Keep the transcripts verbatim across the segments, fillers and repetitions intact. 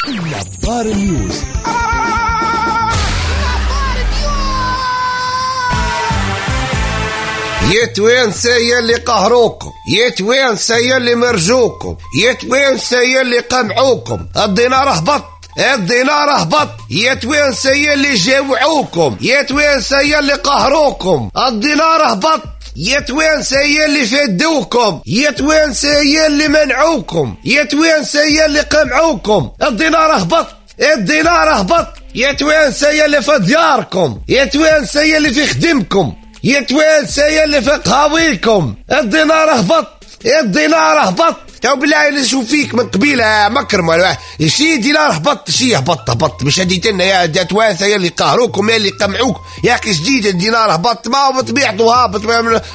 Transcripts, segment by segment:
نبار نيوز. يا توانسة يا اللي قهروكم، يا توانسة يا اللي مرجوكم، يا توانسة يا اللي قمعوكم، الدينار هبط، الدينار هبط. يا توانسة يا اللي جاوعوكم، يا توانسة يا اللي قهروكم، الدينار هبط. يا توانسة يا اللي فدوكم، يا توانسة يا اللي منعوكم، يا توانسة يا اللي قمعوكم، الدينار هبط، الدينار هبط. يا توانسة يا اللي في دياركم، يا توانسة يا اللي في خدمكم، يا توانسة يا اللي في قهاويكم، الدينار هبط، الدينار هبط. تو بالله نشوف فيك من قبيلة مكرم ولا شي دينار هبط، شي هبط هبط، مش هديت لنا يا توانسة يا اللي قهروكم يا اللي قمعوك يا اخي. جديد الدينار هبط، ما هو بطبيعته هابط،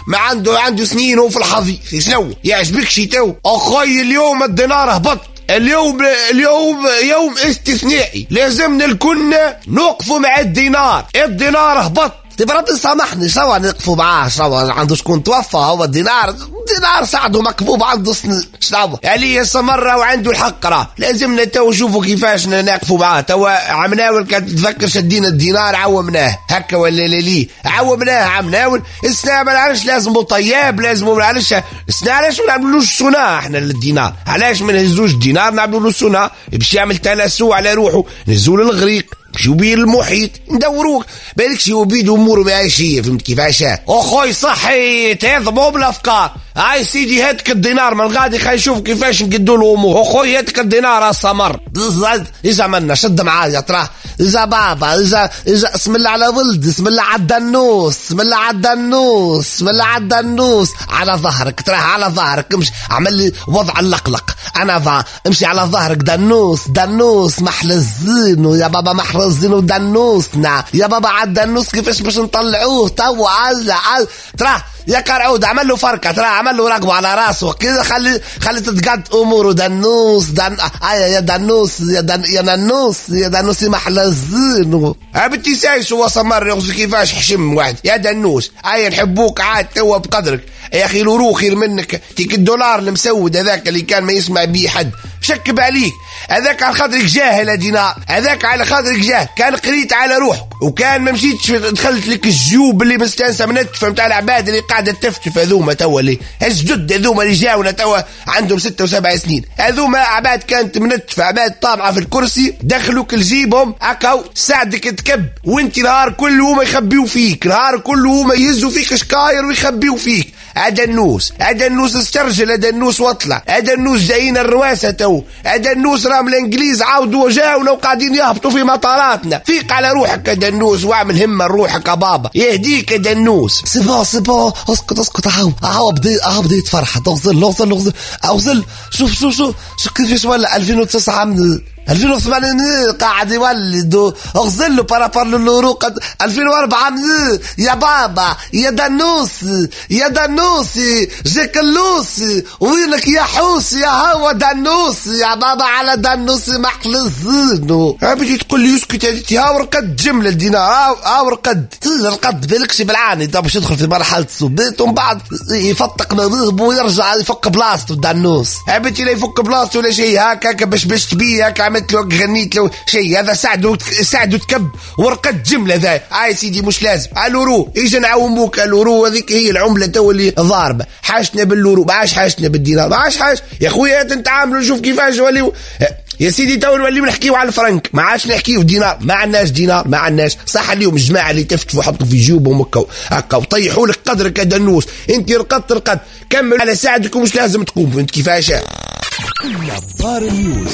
ما عنده عنده سنين هو في الحظيظ. شنو يعجبك شي تو اخوي؟ اليوم الدينار هبط، اليوم اليوم يوم استثنائي، لازمنا الكل نوقفوا مع الدينار. الدينار هبط. تبقى ربي سامحني، شو نقفوا معاه؟ شو عنده شكون توفى؟ هو الدينار دينار سعدة مكبوب عنده سنين، شنو يعني مرة وعنده الحق. راه لازمنا تو نشوفوا كيفاش نقفوا معاه. تو عمناول كانت تتذكر شدينا الدينار عومناه هكا ولا لا؟ لي عومناه عمناول السنة ما نعرفش، لازم طياب، لازم ما نعرفش السنة. علاش ما نعملولوش سنة احنا للدينار؟ علاش ما نهزوش الدينار نعملوا له سنة باش يعمل تلاسو على روحه؟ نهزوه للغريق، شو بيه المحيط، ندوروك بالك شي وبيد اموره معيشيه. فهمت كيفاش اخوي؟ صحي تهضموا بالافكار. هاي سيدي هاتك الدينار من غادي، خلينا نشوف كيفاش نقدوا له امور. اخوي هاتك الدينار السمر اجا منا شد معايا تراه، اجا بابا، اجا اجا اسم الله على ولد، اسم الله على الدنوس، اسم الله على الدنوس، اسم الله على الدنوس، على ظهرك تراه، على ظهرك امشي، عمل لي وضع اللقلق انا ضا، امشي على ظهرك دنوس دنوس محل الزين يا بابا، محل الزين ودنوسنا يا بابا على الدنوس كيفاش باش نطلعوه تو؟ عز عز تراه يا كرعود، عمل له فركه ترى، عمل له رقبة على راسه كده، خلي خلي تتقد اموره. دنوس دن ايا يا دنوس يا دن يا ننوس يا دنوس محل الزين. بنتي سايس هو سمر يغزو كيفاش حشم واحد يا دنوس. ايا نحبوك عاد توا بقدرك يا اخي، l'euro خير منك. تيك الدولار المسود هذاك اللي كان ما يسمع بيه حد شكب عليك، هذاك على خاطرك جاهل دينار، هذاك على خاطرك جاهل. كان قريت على روحك وكان ما مشيتش دخلت لك الجيوب اللي مستانسه من التفه نتاع العباد اللي قاعدة تفتف هذوما توا، اللي الجدد هذوما اللي جاونا توا عندهم ستة وسبع سنين، هذوما عباد كانت منتفه، عباد طامعه في الكرسي، دخلوك لجيبهم هكا ساعدك تكب، وانت نهار كله هما يخبيو فيك، نهار كله هما يهزوا فيك شكاير ويخبيو فيك. هذا النوس، هذا النوس استرجل، هذا النوس واطلع، هذا النوس جايين الرواسه تو، هذا النوس راهم الانجليز عاودوا وجاونا وقاعدين يهبطوا في مطاراتنا. فيق على روحك هذا النوس واعمل همه لروحك يا بابا، يهديك هذا النوس. c'est bon c'est bon، اسكت اسكت، هاو هاو بدي هاو بديت فرحه. اغزل اغزل اغزل اغزل، شوف شوف شوف شوف كيفاش ولا ألفين وتسعة من ألفين وثمانية قاعد يولد. اغزل له par rapport l'euro ألفين وأربعة يا بابا يا دنوس يا دنوس جاك اللوس، وينك يا حوس يا هوا دنوس يا بابا على دنوس محل الزين. بيجي تقول لي اسكت يا ورقد جملة الدينار، ها ورقد رقد بالكش بالعاني تو باش يدخل في مرحلة السبيت ومن بعد يفتق مذهبه ويرجع يفك بلاصته الدنوس. بنتي لا يفك بلاصته ولا شيء، هكا هكا باش باش تبيه هكا عملت له غنيت له شيء. هذا سعدو سعدو تكب ورقد جملة ذا. هاي سيدي مش لازم l'euro، اجا نعاوموك l'euro، هذيك هي العملة تو اللي ضاربه. حاجتنا بال l'euro، ما عادش حاجتنا بالدينار، ما عادش حاج يا خويا. نتعاملوا نشوف كيفاش وليو يا سيدي. تو نوليو نحكيو على الفرنك، ما عادش نحكيو دينار، ما عندناش دينار، ما عندناش. صح اليوم الجماعة اللي تفتفوا حطوا في جيوبهم هكا هكا وطيحوا لك قدرك يا دنوس. انت رقدت رقدت، كمل على ساعدك ومش لازم تقوم. فهمت كيفاش؟ نبار نيوز.